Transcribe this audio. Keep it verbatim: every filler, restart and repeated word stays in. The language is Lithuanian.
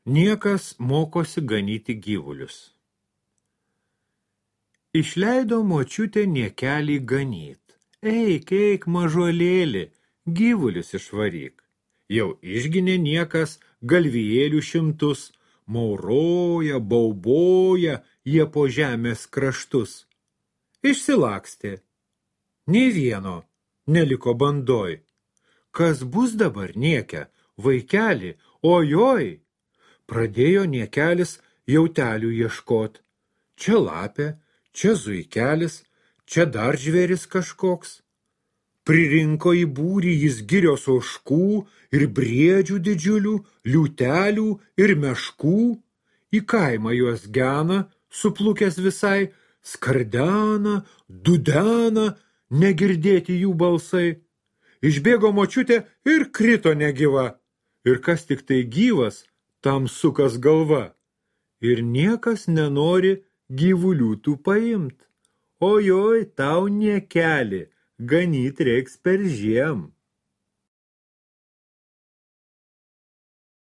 Niekas mokosi ganyti gyvulius. Išleido močiutė niekelį ganyt. Eik, eik, mažuolėli, gyvulius išvaryk. Jau išginė niekas galvijėlių šimtus, mauroja, bauboja jie po žemės kraštus. Išsilakstė. Nė vieno neliko bandoj. Kas bus dabar niekia, vaikeli, ojoj? Pradėjo niekelis jautelių ieškot. Čia lapė, čia zuikelis, čia dar žvėris kažkoks. Pririnko į būrį jis girios ožkų ir briedžių didžiulių, liūtelių ir meškų. Į kaimą juos gena, suplukęs visai, skardena, dudena, negirdėti jų balsai. Išbėgo močiutė ir krito negyva. Ir kas tik tai gyvas, tam sukas galva. Ir niekas nenori gyvulių tų paimt. Ojoj, tau niekeli, ganyt reiks per žiem.